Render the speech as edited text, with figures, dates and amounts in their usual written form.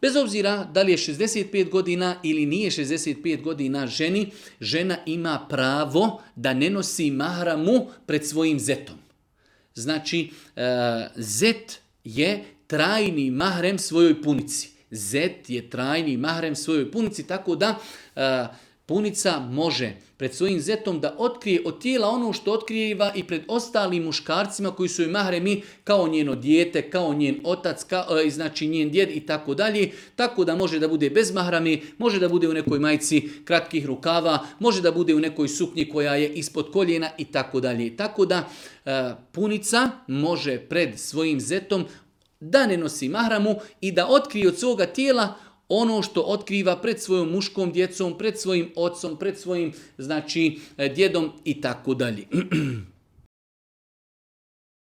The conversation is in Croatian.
Bez obzira da li je 65 godina ili nije 65 godina žena ima pravo da ne nosi mahramu pred svojim zetom. Znači, zet je trajni mahrem svojoj punici. Zet je trajni mahrem svojoj punici, tako da punica može pred svojim zetom da otkrije od tijela ono što otkrijeva i pred ostalim muškarcima koji su joj mahremi, kao njeno dijete, kao njen otac, znači njen djed i tako dalje. Tako da može da bude bez mahrame, može da bude u nekoj majici kratkih rukava, može da bude u nekoj suknji koja je ispod koljena i tako dalje. Tako da punica može pred svojim zetom da ne nosi mahramu i da otkrije od svoga tijela ono što otkriva pred svojom muškom djecom, pred svojim ocom, pred svojim djedom i tako dalje.